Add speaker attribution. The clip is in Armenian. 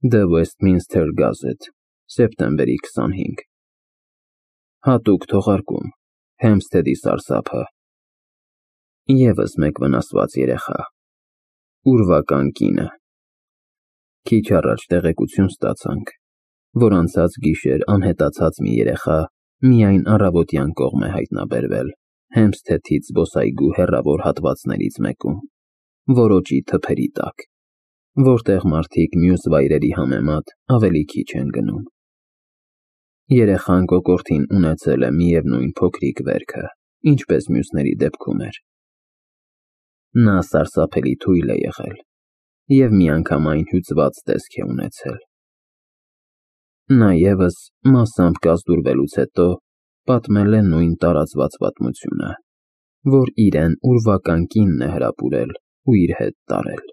Speaker 1: The Westminster Gazette, սեպտեմբերի 25 Հատուկ թողարկում, Հեմփսթեդի սարսափը Եվս մեկ վնասված երեխա, ուրվական կինը Քիչ առաջ տեղեկություն ստացանք, որ անցած գիշեր անհետացած մի երեխա միայն առավոտյան կողմ է հայտնաբերվել Հեմփսթեդից զբոսայգու հեռավոր հատվածներից մեկում, որոճի թփերի տակ, որտեղ մարդիկ մյուս վայրերի համեմատ ավելի քիչ են գնում։ Երեխան կոկորդին ունեցել է միևնույն փոքրիկ վերքը, ինչպես մյուսների դեպքում էր։ Նա սարսափելի թույլ է եղել և միանգամայն հյուծված տեսք է ունեցել։ Նա ևս մասամբ կազդուրվելուց հետո պատմել է նույն տարածված պատմությունը, որ իրեն ուրվական կինն է հրապուրել ու իր հետ տարել։